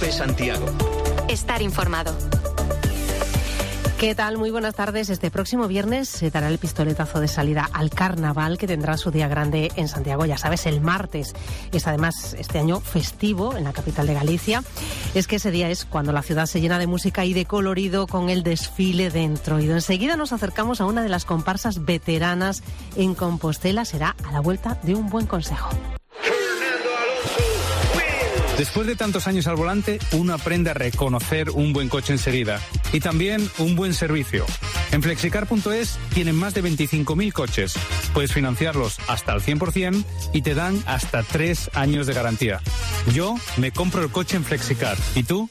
Cope Santiago. Estar informado. ¿Qué tal? Muy buenas tardes. Este próximo viernes se dará el pistoletazo de salida al Carnaval, que tendrá su día grande en Santiago, ya sabes, el martes. Es además este año festivo en la capital de Galicia. Es que ese día es cuando la ciudad se llena de música y de colorido con el desfile de Entroido. Enseguida nos acercamos a una de las comparsas veteranas en Compostela. Será a la vuelta de un buen consejo. Después de tantos años al volante, uno aprende a reconocer un buen coche enseguida y también un buen servicio. En Flexicar.es tienen más de 25.000 coches. Puedes financiarlos hasta el 100% y te dan hasta 3 años de garantía. Yo me compro el coche en Flexicar. ¿Y tú?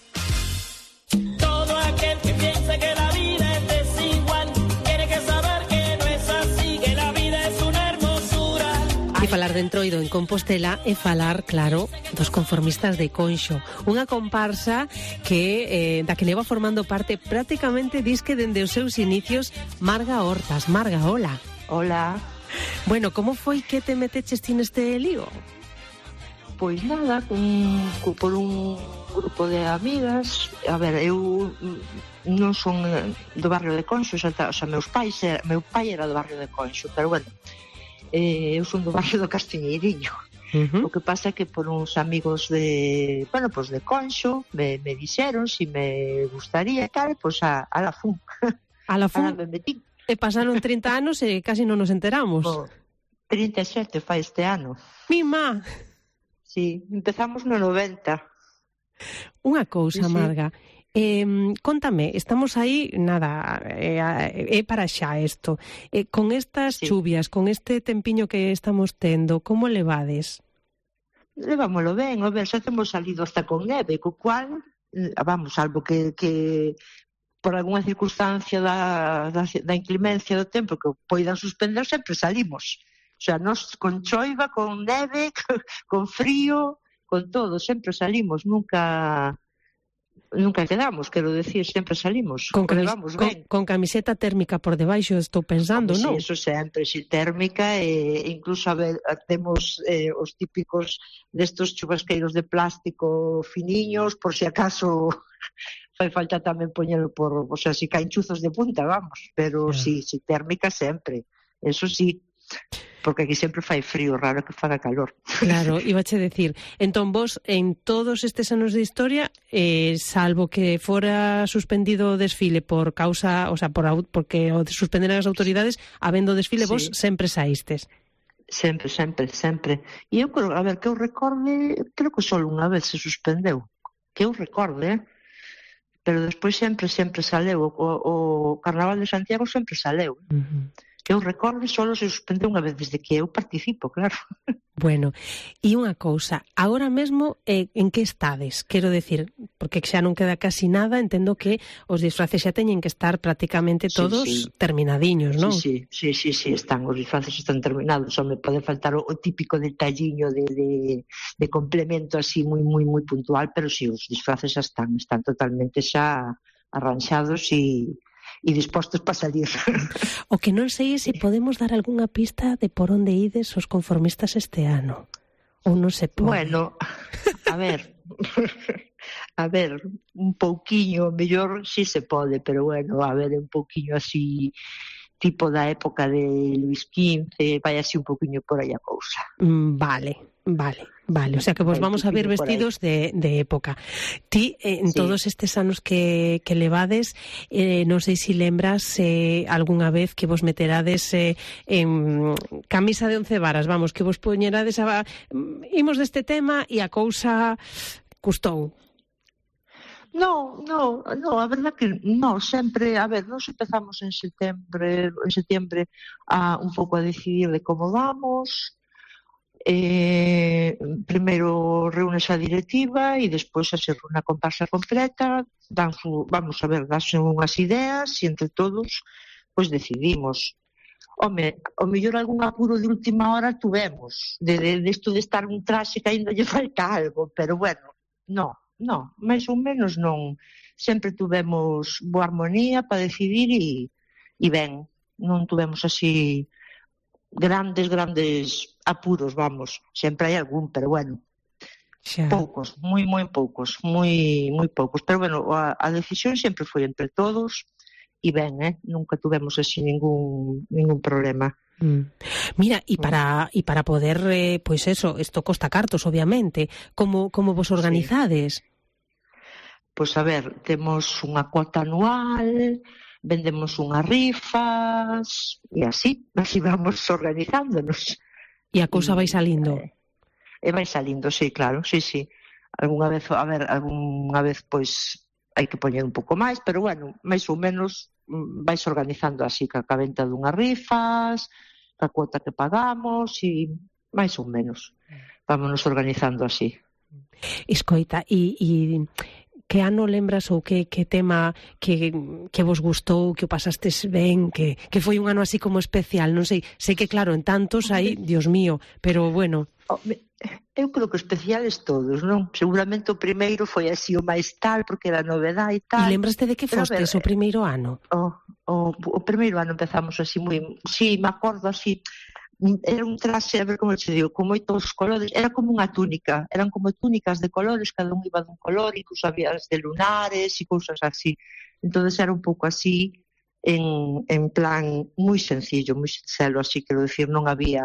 Todo aquel que piensa que la vida es desigual tiene que saber que no es así, que la vida es una hermosura. E falar de Entroido en Compostela é falar, claro, dos conformistas de Conxo. Unha comparsa que da que leva formando parte prácticamente disque dende os seus inicios Marga Hortas. Marga, hola. Hola. Bueno, como foi que te meteches ti neste lío? Pois nada, por un grupo de amigas. A ver, eu non son do barrio de Conxo, o sea, meu pai era do barrio de Conxo, pero bueno, eu son do barrio do Castiñeiriño. O que pasa é que por uns amigos de, bueno, pues de Conxo me dixeron si me gustaría e tal, pues a la fun. A la fun. Me metí. E pasaron 30 anos e casi non nos enteramos. 37 fai este ano. Mima. Sí, empezamos no 90. Unha cousa, Sí. Marga. Contame, estamos aí, nada, é para xa isto. Con estas chuvias, con este tempiño que estamos tendo, como levades? Levámoslo ben, a ver, xa temos salido hasta con neve, co cual, vamos, salvo que por algunha circunstancia da inclemencia do tempo que poidan suspender, sempre salimos. O sea, nos con choiva, con neve, con frío, con todo, sempre salimos, nunca quedamos, quero decir, sempre salimos. Con camiseta térmica por debaixo, estou pensando, non? Sí, eso sempre, si térmica, e incluso, a ver, temos os típicos destos chubasqueiros de plástico finiños, por si acaso fai falta tamén poñelo o sea, si caen chuzos de punta, vamos, pero sí, térmica sempre, eso sí. Porque aquí sempre fai frío, raro que faga calor. Claro, ibache decir, entón vos en todos estes anos de historia, salvo que fora suspendido o desfile por causa, o sea, porque o suspenderan as autoridades, habendo desfile, vos sempre saístes. Sempre. E eu creo, a ver, que eu recorde, creo que só unha vez se suspendeu. Que eu recorde, pero despois sempre saleu. O Carnaval de Santiago sempre saleu. Que eu recorde, só se suspendeu unha vez desde que eu participo, claro. Bueno, e unha cousa, agora mesmo en que estades? Quero decir, porque xa non queda casi nada, entendo que os disfraces xa teñen que estar prácticamente todos terminadiños, non? Sí, están, os disfraces están terminados, só me pode faltar o típico detalliño de complemento así moi puntual, pero sí, os disfraces xa están totalmente xa arranxados e dispostos para salir. O que non sei é se podemos dar algunha pista de por onde ides os conformistas este ano. Ou non se pode? Bueno, a ver, un pouquiño, mellor si se pode, pero bueno, a ver, un pouquiño así, tipo da época de Luis XV, vai así un pouquiño por aí a cousa. Vale, o sea que vos vamos a ver vestidos de época. Ti, en todos estes anos que levades, non sei se lembras algunha vez que vos meterades en camisa de 11 varas, vamos, que vos poñerades imos deste tema e a cousa custou. No, a verdad que no, sempre, a ver, nos empezamos en setembro un pouco a decidir de como vamos. Primeiro reúnes a directiva e despois a ser unha comparsa completa, vamos a ver, danse unhas ideas e entre todos pois decidimos. Home, o mellor algún apuro de última hora tuvemos, de isto de estar un traxe que ainda lle falta algo, pero bueno, no, máis ou menos non. Sempre tuvemos boa armonía para decidir e ben, non tuvemos así grandes apuros, vamos. Sempre hai algún, pero bueno, Poucos, moi poucos, moi poucos. Pero, bueno, a decisión sempre foi entre todos e ben, nunca tuvemos así ningún problema. Mira, e para poder, pois eso, isto costa cartos, obviamente, como vos organizades? Pois, a ver, temos unha cuota anual, vendemos unhas rifas, e así vamos organizándonos. E a cousa vai salindo? E vai salindo, sí, claro, sí. Algúnha vez, pois, hai que poñer un pouco máis, pero, bueno, máis ou menos vais organizando así, ca venta dunhas rifas, ca cuota que pagamos, e máis ou menos vámonos organizando así. Escoita, e que ano lembras ou que tema que vos gustou, que o pasastes ben, que foi un ano así como especial? Non sei que claro, en tantos aí, Dios mío, pero bueno. Eu creo que especiales todos, non? Seguramente o primeiro foi así o máis tal, porque era novedade e tal. E lembraste de que fostes o primeiro ano? O primeiro ano empezamos así moi... Sí, me acordo así... Era un traxe, a ver como te digo, con moitos colores, era como unha túnica, eran como túnicas de colores, cada un iba dun color, incluso había de lunares e cousas así. Entonces era un pouco así, en plan moi sencillo, moi sincero, así, quero dicir, non había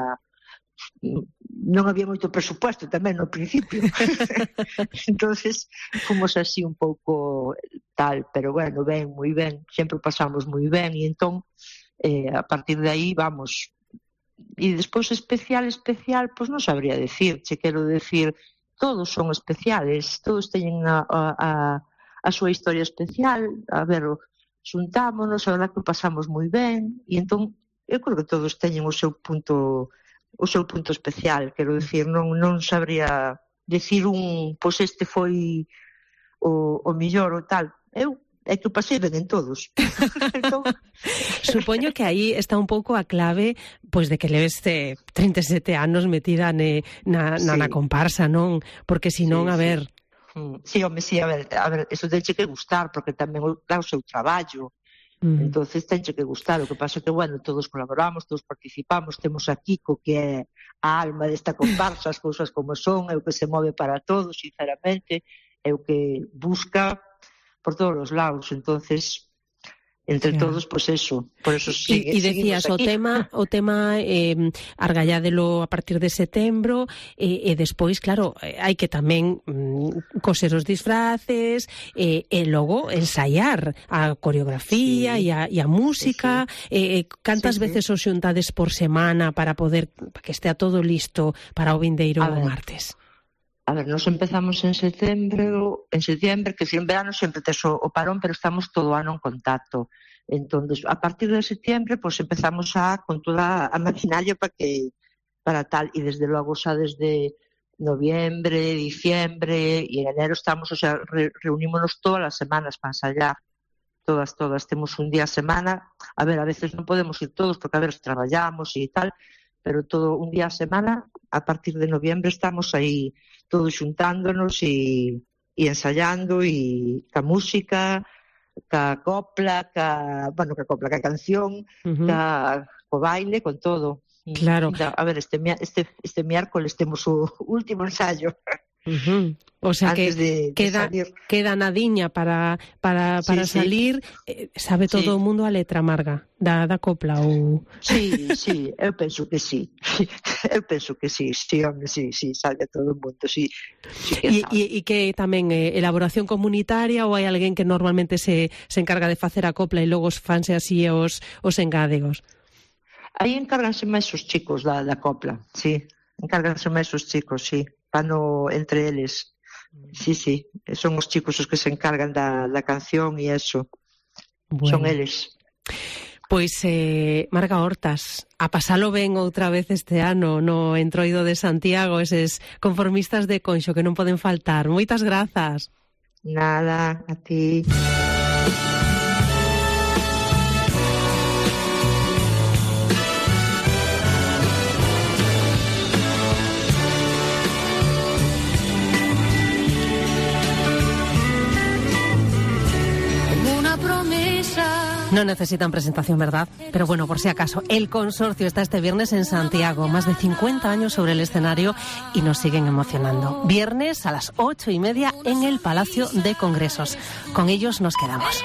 moito presupuesto tamén no principio. Entonces fomos así un pouco tal, pero bueno, ben, moi ben, sempre pasamos moi ben, e entón a partir de aí vamos. E despois especial, pois non sabría decirche, quero decir, todos son especiales, todos teñen a súa historia especial. A ver, xuntámonos, a verdad que pasamos moi ben, e entón eu creo que todos teñen o seu punto especial, quero decir, non sabría decir pois este foi o mellor ou tal. É que o pasei ben en todos. Entón... Supoño que aí está un pouco a clave, pois de que leves 37 anos metida na comparsa, non? Porque senón, a ver... Sí, home, sí, a ver, eso tenche que gustar, porque tamén dá o seu traballo. Entonces tenche que gustar. O que pasa que, bueno, todos colaboramos, todos participamos, temos a Kiko, que é a alma desta comparsa, as cousas como son, é o que se move para todos, sinceramente, é o que busca por todos os lados, entonces entre todos, pois eso, por eso e decías, o tema argalládelo a partir de setembro, e despois, claro, hai que tamén coser os disfraces, e logo ensaiar a coreografía e a música. Cantas veces os xuntades por semana para que estea todo listo para o vindeiro martes? A ver, nos empezamos en setembro, que en verano sempre tes o parón, pero estamos todo o ano en contacto. Entón, a partir de setembro, pues empezamos con toda a maquinaria para tal, e desde logo xa desde noviembre, diciembre e en enero estamos, o sea, reunímonos todas as semanas para ensayar. Todas, temos un día a semana. A ver, a veces non podemos ir todos porque a ver, traballamos e tal, pero todo un día a semana, a partir de noviembre estamos aí todos xuntándonos e ensayando, e ca música, ca copla, ca canción, co baile, con todo. Claro. A ver, este miércoles temos o último ensayo. O sea que queda nadiña para salir. Sabe todo o mundo a letra, Marga, da copla ou... Sí, eu penso que sí. Home, sí, sabe todo o mundo, sí. E que tamén elaboración comunitaria, ou hai alguén que normalmente se encarga de facer a copla e logo fanse así os engádegos? Aí encárganse máis os chicos da copla, sí. Encárganse máis os chicos, sí. Entre eles. Sí, son os chicos os que se encargan da canción e eso. Bueno. Son eles. Pois, Marga Hortas, a pasalo ben outra vez este ano no Entroido de Santiago, eses conformistas de Conxo que non poden faltar. Moitas grazas. Nada, a ti. Una promesa No necesitan presentación, ¿verdad? Pero bueno, por si acaso, el consorcio está este viernes en Santiago, más de 50 años sobre el escenario y nos siguen emocionando. Viernes a las 8:30 en el Palacio de Congresos. Con ellos nos quedamos.